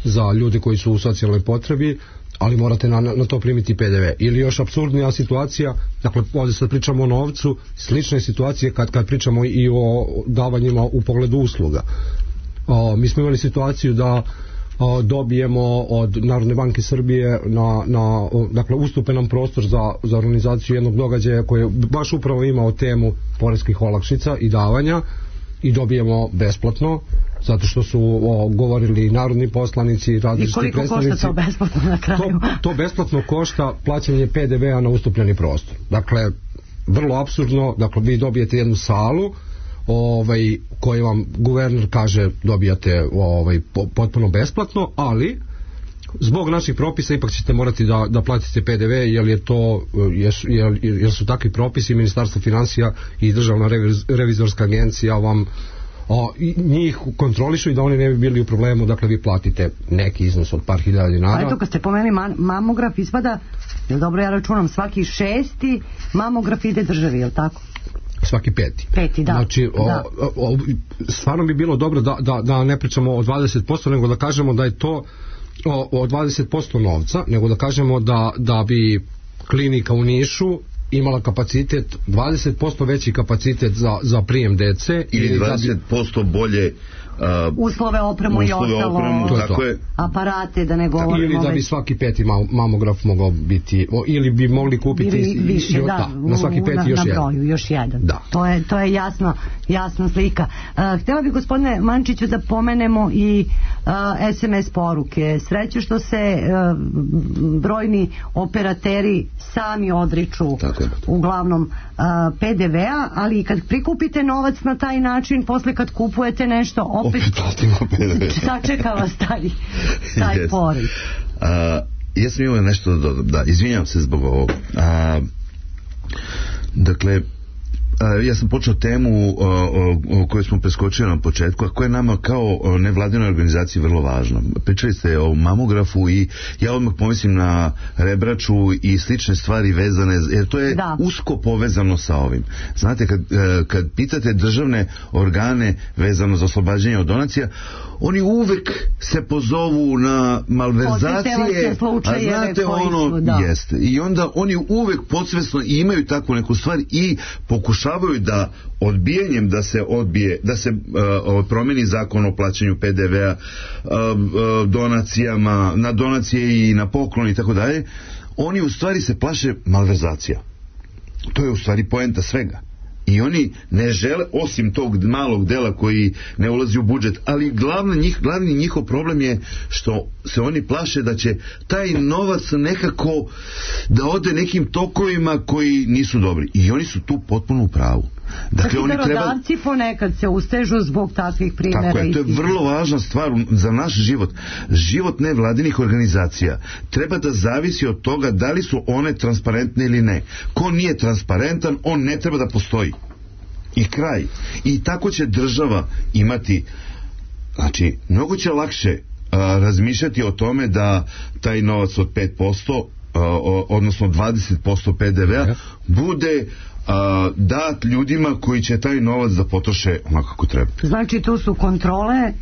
za ljude koji su u socijalnoj potrebi, ali morate na to primiti PDV. Ili još apsurdnija situacija, dakle ovdje sad pričamo o novcu, slične situacije kad pričamo i o davanjima u pogledu usluga. Mi smo imali situaciju da dobijemo od Narodne banke Srbije dakle ustupe nam prostor za organizaciju jednog događaja koji baš upravo imao temu poreskih olakšica i davanja i dobijemo besplatno, zato što su govorili narodni poslanici, različiti predstavnici. I koliko košta to besplatno na kraju? To besplatno košta plaćanje PDV-a na ustupljeni prostor. Dakle, vrlo apsurdno, dakle vi dobijete jednu salu koju vam guverner kaže dobijate potpuno besplatno, ali zbog naših propisa ipak ćete morati da platite PDV jer su takvi propisi. Ministarstvo financija i Državna revizorska agencija vam njih kontrolišu i da oni ne bi bili u problemu. Dakle, vi platite neki iznos od par hiljada dinara. A eto, kad ste pomenuli mamograf, ispada, jel dobro ja računam, svaki 6. mamograf ide državi, jel tako? Svaki 5. Da. Znači, stvarno bi bilo dobro da ne pričamo o 20%, nego da kažemo da je to o 20% novca, nego da kažemo da bi klinika u Nišu imala kapacitet, 20% veći kapacitet za prijem dece ili 20% bolje uslove, opremu i ostalo, tako je. Aparate, da ne govorimo. Ili da bi svaki 5. mamograf mogao biti, ili bi mogli kupiti više, na svaki 5 još jedan. Na broju, još jedan. Da. To je jasna slika. Htjela bih, gospodine Mančiću, da pomenemo i SMS poruke. Sreće što se brojni operateri sami odriču uglavnom PDV-a, ali kad prikupite novac na taj način, posle kad kupujete nešto, opet sačeka vas taj poriv. Ja sam imao nešto izvinjam se zbog ovog. Dakle, ja sam počeo temu o kojoj smo preskočili na početku, a koja je nama kao nevladinoj organizaciji vrlo važna. Pričali ste o mamografu i ja odmah pomislim na rebraču i slične stvari vezane, jer to je usko povezano sa ovim. Znate, kad pitate državne organe vezano za oslobađanje od donacija, oni uvek se pozovu na malverzacije, a znate jeste. I onda oni uvek podsvesno imaju takvu neku stvar i pokušavaju da odbijanjem da se promeni zakon o plaćanju PDV-a, donacijama, na donacije i na poklon i tako dalje, oni u stvari se plaše malverzacija. To je u stvari poenta svega. I oni ne žele, osim tog malog dela koji ne ulazi u budžet, ali glavni njihov problem je što se oni plaše da će taj novac nekako da ode nekim tokovima koji nisu dobri. I oni su tu potpuno u pravu. Dakle, oni darodavci ponekad se ustežu zbog takvih primjera. Tako je, to je vrlo važna stvar za naš život. Život nevladinih organizacija treba da zavisi od toga da li su one transparentne ili ne. Ko nije transparentan, on ne treba da postoji. I kraj. I tako će država imati, znači, mnogo će lakše razmišljati o tome da taj novac od 5%, odnosno 20% PDV-a, bude dat ljudima koji će taj novac da potroše onako kako treba. Znači tu su kontrole,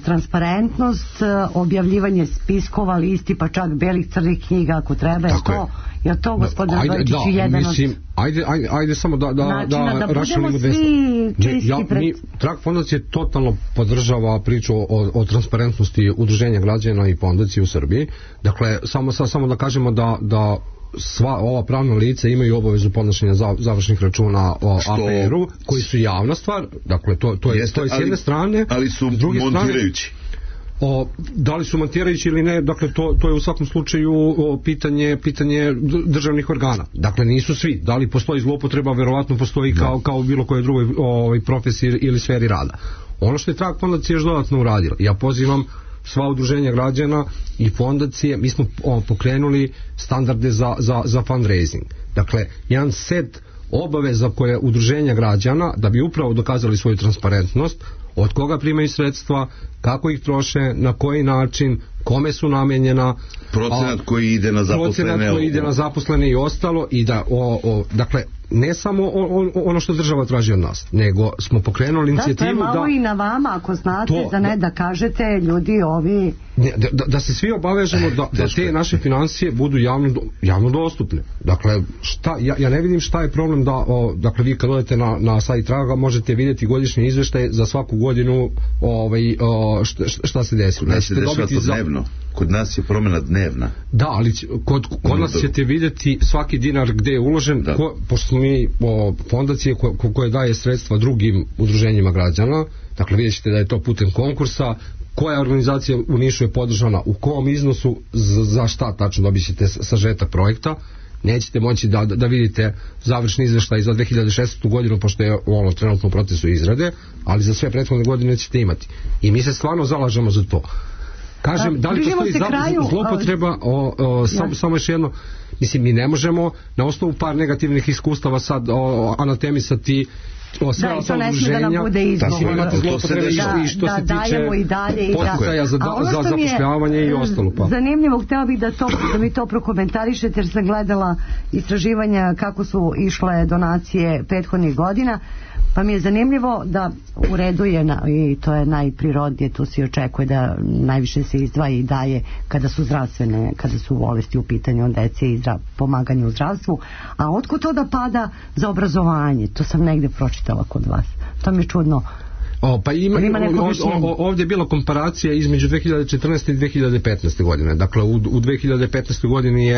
transparentnost, objavljivanje spiskova, listi, pa čak belih crnih knjiga ako treba. Je to gospodin Radojičić jedan od... Ajde samo da budemo svi čisti pred... Trag fondacije totalno podržava priču o transparentnosti udruženja građana i fondacije u Srbiji. Dakle, samo da kažemo da sva ova pravna lica imaju obavezu podnošenja završnih računa o APR-u, koji su javna stvar, dakle to je s jedne strane, ali su montirajući. Da li su montirajući ili ne, dakle to je u svakom slučaju pitanje državnih organa. Dakle nisu svi, da li postoji zloupotreba, verovatno postoji kao u bilo kojoj drugoj profesiji ili sferi rada. Ono što je Trag fondacija još dodatno uradila, ja pozivam sva udruženja građana i fondacije, mi smo pokrenuli standarde za fundraising. Dakle, jedan set obaveza koje udruženja građana, da bi upravo dokazali svoju transparentnost, od koga primaju sredstva, kako ih troše, na koji način, kome su namenjena, procenat koji ide na zaposlene i ostalo, i da dakle ne samo ono što država traži od nas, nego smo pokrenuli inicijativu da... To je malo i na vama, ako znate, da kažete ljudi ovi... Da se svi obavežemo da te naše financije budu javno dostupne. Dakle, ja ne vidim šta je problem dakle vi kad odete na sajt Traga možete vidjeti godišnji izveštaj za svaku godinu šta se desilo. Kod nas je promjena dnevna. Da, ali kod nas ćete vidjeti svaki dinar gde je uložen, pošto smo mi fondacije koje daje sredstva drugim udruženjima građana, dakle vidjet ćete da je to putem konkursa, koja organizacija u Nišu je podržana, u kom iznosu, za šta tačno, dobit ćete sažetak projekta. Nećete moći da vidite završni izveštaj za 2016. godinu, pošto je trenutno u procesu izrade, ali za sve prethodne godine ćete imati. I mi se stvarno zalažemo za to. Kažem, da li postoji zloupotreba, samo još jedno, mislim, mi ne možemo na osnovu par negativnih iskustava sad anatemisati sve to ne smije da nam bude izgovor. Imate zloupotrebe i što se tiče poticaja za zapošljavanje i ostalo. Zanimljivo, htjela bih da mi to prokomentarišete, jer sam gledala istraživanja kako su išle donacije prethodnih godina, pa mi je zanimljivo da u redu je, i to je najprirodnije, tu se očekuje da najviše se izdvaja i daje kada su bolesti u pitanju od dece i pomaganje u zdravstvu, a otkud to da pada za obrazovanje? To sam negde pročitala kod vas. To mi je čudno. Ovdje je bila komparacija između 2014. i 2015. godine. Dakle, u 2015. godini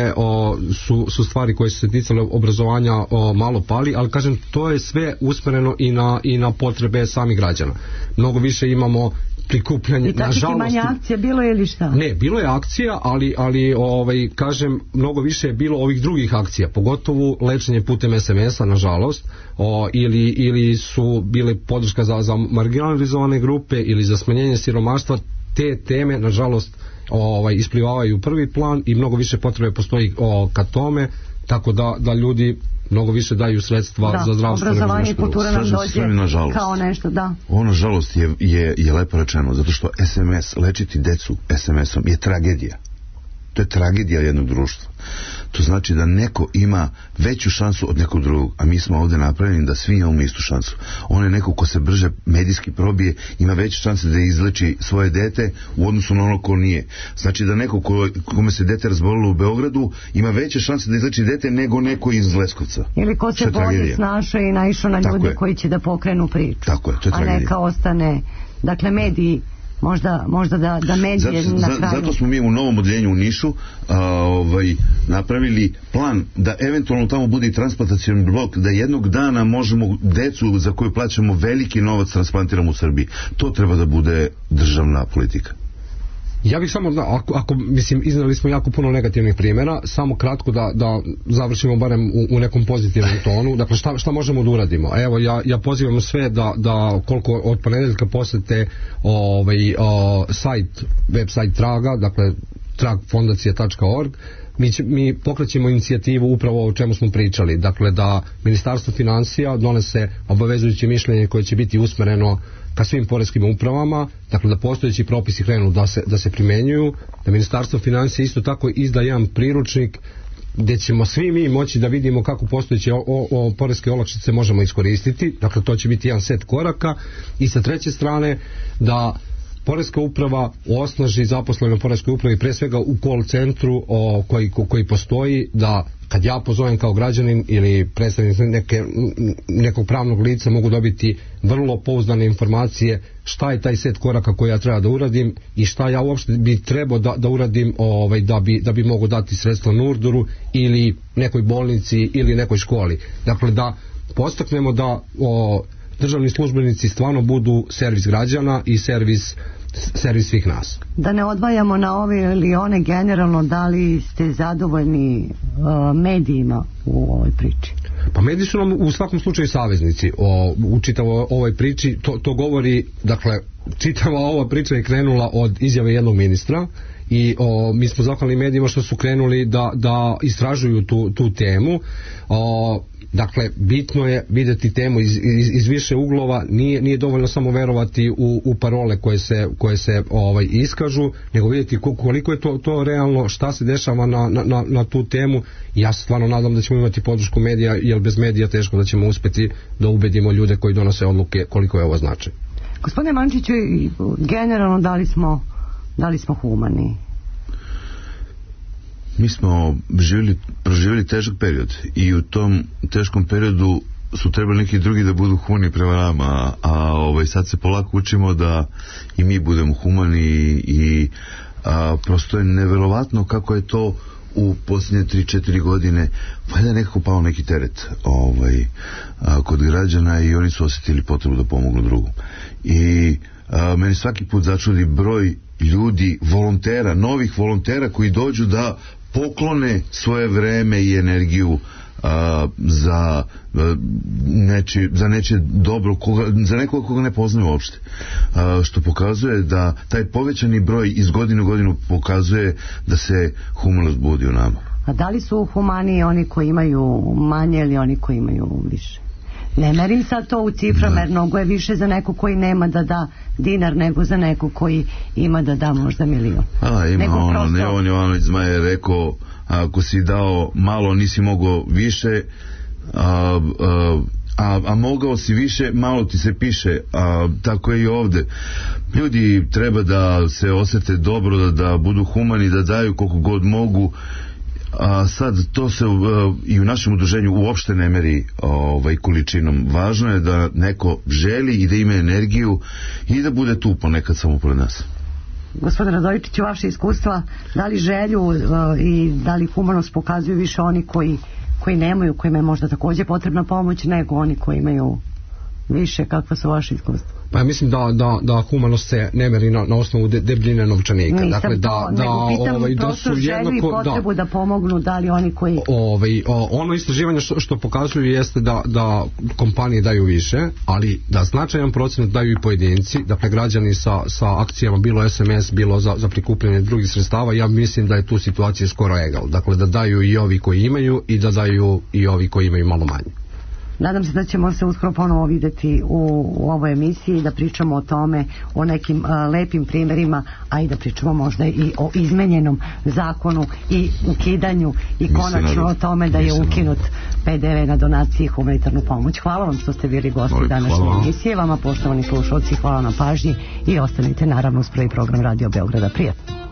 su stvari koje su se ticale obrazovanja malo pali, ali kažem, to je sve usmjereno i na potrebe samih građana. Mnogo više imamo prikupljanje. I tako ti manje akcija bilo ili šta? Ne, bilo je akcija, ali kažem, mnogo više je bilo ovih drugih akcija, pogotovo lečenje putem SMS-a, nažalost, ili su bile podrška za marginalizovane grupe ili za smanjenje siromaštva. Te teme, nažalost, isplivavaju u prvi plan i mnogo više potrebe postoji ka tome, tako da ljudi mnogo više daju sredstva za zdravstvo. Obrazovanje i kultura nam dođe kao nešto, da. Ovo, nažalost, je lepo rečeno, zato što SMS, lečiti decu SMS-om je tragedija. To je tragedija jednog društva. To znači da neko ima veću šansu od nekog drugog, a mi smo ovdje napravljeni da svi imamo istu šansu. On je neko ko se brže medijski probije, ima veće šanse da izleči svoje dete u odnosu na ono ko nije. Znači da neko kome se dete razbolilo u Beogradu ima veće šanse da izleči dete nego neko iz Leskovca. Ili ko se bolje snašao i naišao na ljude koji će da pokrenu priču. Tako je, to je tragedija. A neka ostane, dakle, mediji možda da medije na kraju. Zato smo mi u novom odeljenju u Nišu napravili plan da eventualno tamo bude i transplantacioni blok, da jednog dana možemo decu za koju plaćamo veliki novac transplantiramo u Srbiji. To treba da bude državna politika. Ja bih samo, ako mislim, iznali smo jako puno negativnih primjera, samo kratko da završimo barem u nekom pozitivnom tonu. Dakle, šta možemo da uradimo? Evo, ja pozivam sve da koliko od ponedeljka posete web sajt Traga, dakle tragfondacija.org. Mi pokrećemo inicijativu upravo o čemu smo pričali, dakle da Ministarstvo financija donese obavezujuće mišljenje koje će biti usmereno ka svim poreskim upravama, dakle da postojeći propisi krenu da se primenjuju, da Ministarstvo financija isto tako izda jedan priručnik gdje ćemo svi mi moći da vidimo kako postojeće poreske olakšice možemo iskoristiti, dakle to će biti jedan set koraka, i sa treće strane da Poreska uprava osnaži zaposlene u Poreskoj upravi, pre svega u call centru koji postoji, da kad ja pozovem kao građanin ili predstavnik nekog pravnog lica mogu dobiti vrlo pouzdane informacije šta je taj set koraka koji ja treba da uradim i šta ja uopšte bi trebao da uradim da bi mogu dati sredstva Nurduru ili nekoj bolnici ili nekoj školi. Dakle, da postaknemo da državni službenici stvarno budu servis građana i servis svih nas. Da ne odvajamo na ove ili one, generalno, da li ste zadovoljni medijima u ovoj priči? Pa mediji su nam u svakom slučaju saveznici u čitavoj ovoj priči. To govori, dakle, čitava ova priča je krenula od izjave jednog ministra i mi smo zahvalni medijima što su krenuli da istražuju tu temu. Dakle, bitno je vidjeti temu iz više uglova, nije dovoljno samo verovati u parole koje se iskažu, nego vidjeti koliko je to realno, šta se dešava na tu temu. Ja se stvarno nadam da ćemo imati podršku medija, jer bez medija teško da ćemo uspjeti da ubedimo ljude koji donose odluke koliko je ovo značaj. Gospodine Mančiću, generalno da li smo humani? Mi smo proživjeli težak period i u tom teškom periodu su trebali neki drugi da budu humani prema nama, a sad se polako učimo da i mi budemo humani i prosto je neverovatno kako je to u posljednje 3-4 godine valjda je nekako pao neki teret kod građana i oni su osjetili potrebu da pomognu drugom. I meni svaki put začudi broj ljudi, volontera, novih volontera koji dođu da poklone svoje vreme i energiju za nečije dobro, za nekoga koga ne poznaju uopšte, što pokazuje da taj povećani broj iz godine u godinu pokazuje da se humanost budi u nama. A da li su humaniji oni koji imaju manje ili oni koji imaju više? Ne merim sad to u ciframa, jer mnogo je više za neko koji nema da da dinar nego za neko koji ima da da možda milion. Ima Neon Jovanović Zmaj je rekao, ako si dao malo nisi mogao više, a mogao si više, malo ti se piše. Tako je i ovde. Ljudi treba da se osjete dobro, da budu humani, da daju koliko god mogu. A sad to se i u našem udruženju uopšte ne meri količinom. Važno je da neko želi i da ima energiju i da bude tu ponekad samo pored nas. Gospodine Radojičiću, vaše iskustva, da li želju i da li humanost pokazuju više oni koji nemaju, kojima je možda također potrebna pomoć, nego oni koji imaju više, kakva su vaše iskustva? Pa ja mislim da humanost se ne meri na osnovu debljine novčanika. Nisam dakle, nego pitam da su želju i potrebu da pomognu, da li oni koji... Ono istraživanje što pokazuju jeste da kompanije daju više, ali da značajan procenat daju i pojedinci, dakle građani sa akcijama, bilo SMS, bilo za prikupljanje drugih sredstava. Ja mislim da je tu situacija skoro egal. Dakle, da daju i ovi koji imaju i da daju i ovi koji imaju malo manje. Nadam se da ćemo se uskoro ponovo vidjeti u ovoj emisiji, da pričamo o tome, o nekim lepim primjerima, a i da pričamo možda i o izmenjenom zakonu i ukidanju i konačno o tome da je ukinut PDV na donacije i humanitarnu pomoć. Hvala vam što ste bili gosti današnje emisije. Vama, poštovani slušalci, hvala na pažnji i ostanite naravno uz prvi program Radio Beograda. Prijatno.